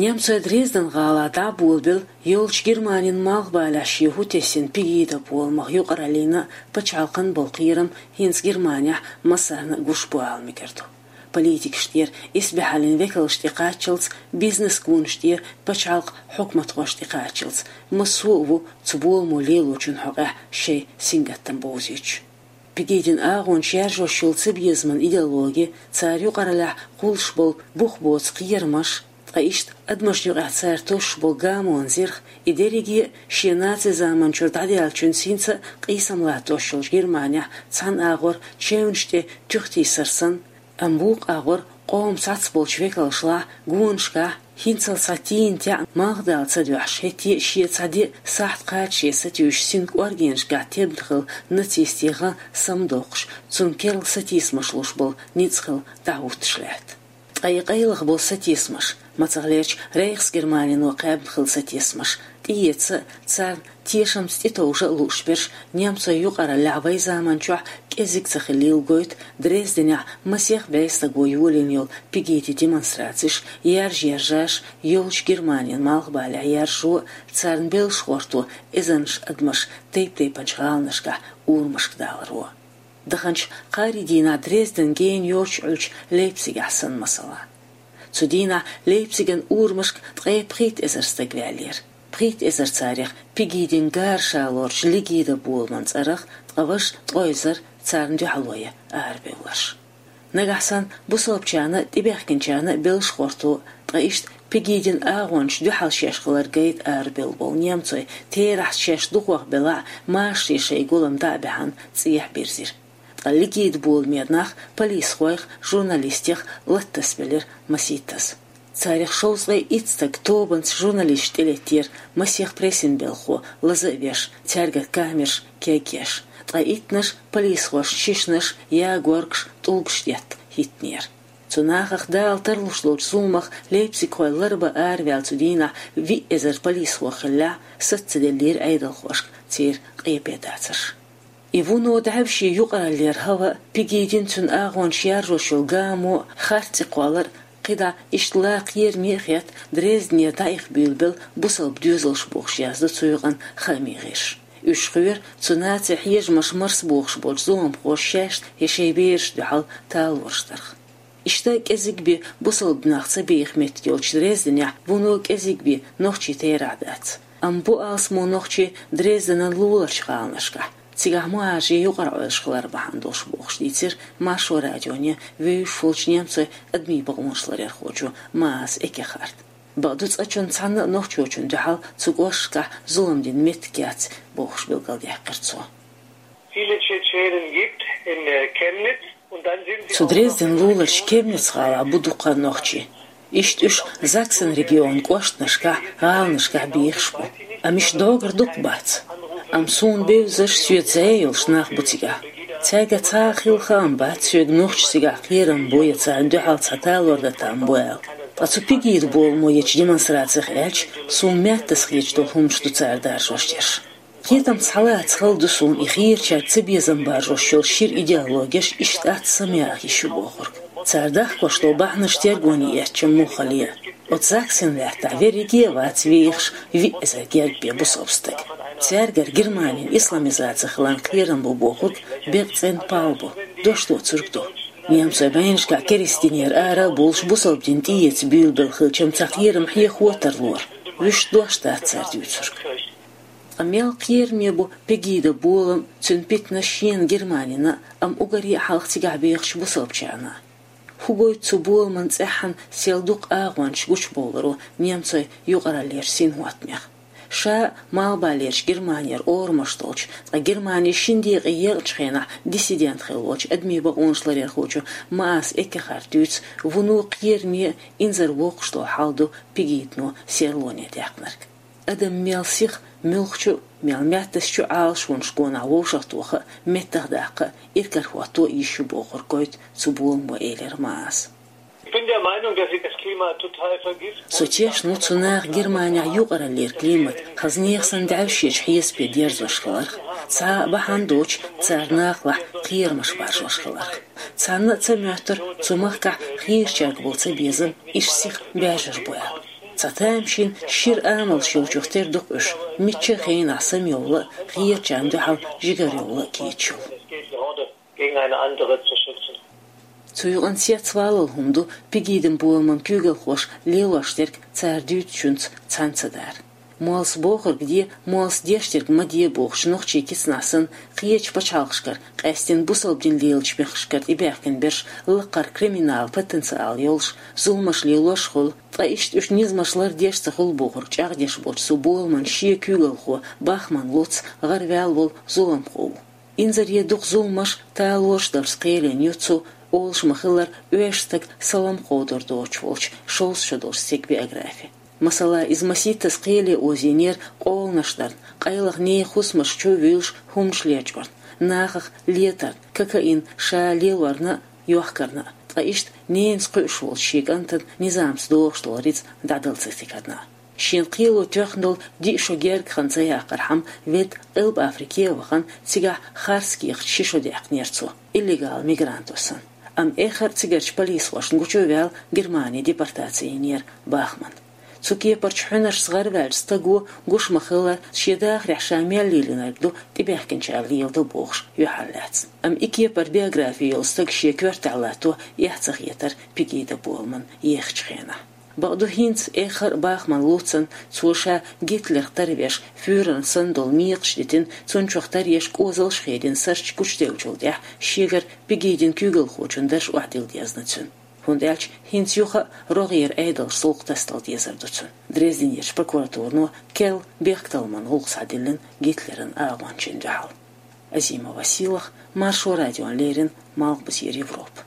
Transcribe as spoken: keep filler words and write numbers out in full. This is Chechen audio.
Немцойн Дрезден гӀалахь дӀа а болабелла, йолчу Германин малхбалехь шен хӀу тесна Пегида боламах юкъараллина пачхьалкхан болу кхерам хӀинца Германехь массарна а гуш бу ала мегар ду. Политикаш тӀера исбаьхьаллин векалш тӀекхаччалц, бизнес-гонаш тӀера пачхьалкх хьукматхош тӀекхаччалц, массо а ву цу боламо лелочун хьокъехь шайн сингаттам бовзуьйтуш. Пегидин агӀончаш яржош йолу цабезаман идеологи, цара юкъараллехь кхуллуш болу бух боцу кхерамаш, ткъа иштта адамашна юкъахь цара тосуш болу гамонан зирх, и дерриге а шен наци заманчуьра дӀадаьллачуьнца хӀинца а къийсам латтош йолчу Германехь цхьана агӀор чевнаш тӀе туьхтийсар санна, амма вукху агӀор къоман цхьацца болчу векалшлахь, гонашкахь, хӀинццалц цхьа тийна теӀна малх дала ца дуьхьаш, хӀетте а шен цхьа де а сахьт кхачаре сатуьйсуш, синкъоргенашкахь тебна хилла нацистийн гӀан самадоккхуш, цунна керла сатийсамаш луш болу ницкъ хилла дӀахӀуттуш лаьтта. Ткъа и къайлаха болу сатийсамаш, мацахлерчу Рейхс-Германино кхаьбна хилла сатийсамаш, тӀеэца а, царна тешамца тӀетовжа а лууш берш немцойн юкъараллехь вайн заманчохь кӀезиг ца хиллийла гойту Дрезденехь масех бӀе стаго йолийна йолу Пегидин демонстрацеш, яржа-яржаш, йолчу Германин малхбалехь яржо а, царна белшахӀорто эзарнаш адамаш тайп-тайпанчу гӀаланашкахь урамашка даларо. Даханчу кхаарин дийнахь Дрезден гена йоцуш Ӏуьллучу Лейпцигехь санна, масала. Цу дийнахь Лейпциган урамашка ткъе пхийтта эзар стаг ваьллера. Пхийтта эзар царах Пегидин гарашаллорчу Легида боламан цӀарах, ткъа важа ткъе эзар царна дуьхьало ян арабевлларш. Нагахь санна бусалбачарна а, тӀебаьхкинчарна а белшахӀорто, ткъа иштта Пегидин агӀончашна дуьхьал шаьш хилар гайта арабевлла болу немцой, терахьца шаьш дукхох белахь а, машаре шайн гулам дӀа а баьхьна, цӀехьа бирзира. Ткъа Легида боламе нах полисхойх, журналистех латтасабелира масийттаза. Царах шовзткъе итт стаг тобанца журналисташна тӀелеттера, масех прессин белхахо лаза а веш, цаьргара камераш кегъеш. Ткъа иттаннаш полисхошна шишанаш, ягоргаш, тӀулгаш детта хӀиттинера. Цу нахах Дала тарлуш долчу зуламах лейпцигхой ларбан араваьлла цу дийнахь виъ эзар полисхо хиллехь, саца ца деллера Ӏедалхошка церан къепедацарш. И вуно даьвший юкъараллера хӀаваъ, Пегидин, цуьнан агӀончаша яржош йолу гамо, харц цӀе кхоллар, кхидӀа иштта ла кхераме а хетта, Дрезденера дӀаиха буьйлабелла бусалба доьзалш бохуш яздо цу юкъанна хаамийн гӀирсаша. Уьш кхоьру цу нацийн хьежамаш марсабохуш болчу зуламхоша шаьшна я шайн берашна дуьхьал талораш дарх. Иштта кӀезиг бен бусалба нах ца беха меттиг йолчу Дрезденехь вуно кӀезиг бен нохчий терахь дац. Амма бу алсамо нохчий Дрезденан луларчу гӀаланашкахь, цигахь мухӀажарийн юкъара Ӏойлаш хилар бахьана долуш бохуш, дийцира Маршо радионе вевзаш волчу немцойн адамийн бакъонаш ларъярхочо Маас Эккехарта. Бакъду, цкъачунна цхьанна а нохчочунна дуьхьал цу кӀошташкахь зулам дина меттиг яц бохуш билгалдаьккхира цо. Viele Tschetschenen gibt in, äh, Chemnitz und dann sind sie Цу Дрезден луларчу Кемниц гӀалахь бу дукха нохчий. Иштта уьш Заксен регионан кӀоштанашкахь, гӀаланашкахь бехаш бу. Амма уьш доггара дукха бац. Амма суна бевзаш, соьца зӀе йолуш нах бу цигахь. Цаьргара цхьа а хилла хаам бац соьга нохчаша цигахь кхерам бу я царна дуьхьал цхьа талор дан там бу аьлла. Ткъа цу Пегида боламо ечу демонстрацех аьлча, суна маьттаза хеташ долу хӀуманаш ду цара даржош дерш. Кхетамца схьалаца хала ду суна и хийрачаьрга цабезам баржош йолу шира идеологеш иштта атта самаяха йиш ю бохург. Цара дахкош долу бахьанаш тергоне эцча муха хала а. Оцу Заксен лаьттахь верриге а вац вехаш виъ эзар гергга бен бусалба стаг. Цаьргара Германин исламизаци хиларна кхерам бу бохург бекъа цӀена пал бу, дош доцург ду. Немцойн байнашкахь керста динера ара а бовлуш, бусалба дин тӀеэца буьйлабелла хилча-м, цхьа кхерам хьехо тарлора. Вуьшта дош дац цара дуьйцург. Ткъа мел кхераме бу Пегида болам, цуьнан питанаш шена Германина, амма уггаре а хьалха цигахь бехачу бусалбачарна. ХӀун гойту цу боламан цӀеххьана сел дукха агӀончаш гучубовларо немцойн юкъараллерчу синхӀоттамех? Ша а малхбалерчу Германера орамаш долчу, ткъа Германи шина декъе екъначу хенахь диссидент хилла волчу адамийн бакъонаш ларъярхочо Маас Эккехарта дуьйцу, вуно кхераме а, инзарвоккхуш долу хьал ду Пегидано серлоне даьккхинарг. Адам мел сиха, муьлххачу а, мел маьттазчу а Ӏалашонаш гонах вовшахтоха а, меттахдаккха а, иракарахӀотто а йиш ю бохург гойту цу боламо, элира Мааса. Ich bin der Meinung, dass sie das Klima total vergiften. Со тешна ву цу наха Германехь юкъараллера климат хаза нехан санна даьвшечу хьесапе дерзош хиларх, цхьа а бахьана доцуш цара нахалахь кхерамаш баржош хиларх. Цхьанна а ца моьттура цу махкахь хийрачаьрга болу цабезам иштта сиха баьржар бу аьлла. Ткъа тамашийна шира амалш йолчух тера ду-кх уьш, мичча а хенахь самайовла а, хетачарна дуьхьал жигарайовла а кийча йолу. Цу юкъана цецвалалла хӀума ду Пегидин боламан куьйгалхоша лелош дерг цара дуьйцучуьнца цхьаьна ца дар. Моллас бохург де, моллас деш дерг ма де бохучу нохчийн кицанах санна, кхечу пачхьалкхашкара, къаьсттина бусалба дин лелачу мехкашкара тӀебаьхкина берш лакхара криминалан потенциал йолуш, зуламаш лелош а хуьлу, ткъа иштта уьш низамаш лардеш а ца хуьлу бохург чӀагӀдеш болчу цу боламан шен куьйгалхо Бахман Луц гӀараваьлла волу зуламхо ву. Инзаре дукха зуламаш, талораш дарца кхелина ю цу, олуш ма-хиллара, оьшучу стага салам кховдор доцуш волчу шовзткъа шо долчу стеган биографи. Масала, иза масийттаза кхеле озийнера къоланаш дарна, къайлаха нехан хӀусамаш чу а вуьйлуш, хӀуманаш лечкъорна, нахах летарна, кокаин ша лелорна а, йохкарна а, ткъа иштта ненца кхуьуш волчу шен кӀантана низамца догӀуш долу рицкъ дӀадала ца стигарна а. Шена кхело тоьхна долу диъ шо гергга хан ца яккхархьама, ведда Къилба Африке а вахана, цигахь харц кехат ши шо даьккхинера цо, иллегал мигранто санна. Амма эххар а цигарчу полисхошна гучу а ваьлла, Германи депортаци йинера Бахман. Цу кепарчу хьуьнаршца гӀараваьллачу стага, гуш ма-хиллара, шен дахарехь ша мел лелийнарг ду тӀебаьхкинчара леладо бохуш, юьхьарлаьцна. Амма и кепара биографи йолу стаг шен коьртехь латто эхь ца хетара Пегида боламан ехачу хенахь. Бакъду, хӀинца эххар а Бахман Луцан, цо ша Гитлерх тарвеш, фюреран санна долу мекхаш дитина, цунна чохь таръеш кӀозалш а хедина, сарч гучуделлачул тӀаьхьа шегара Пегидин куьйгалхочун дарж охьадилла дезна цуьнан. ХӀунда аьлча хӀинца юха а рогӀера Ӏедалша зулкх тасадала дезар ду цуьнан. Дрезденерчу прокуратуро керла бехктакхаман гӀуллакх схьадиллина Гитлеран агӀончийн дуьхьал. Азимова Сийлаха, Маршо радиона леррина, Малхбузера Европа.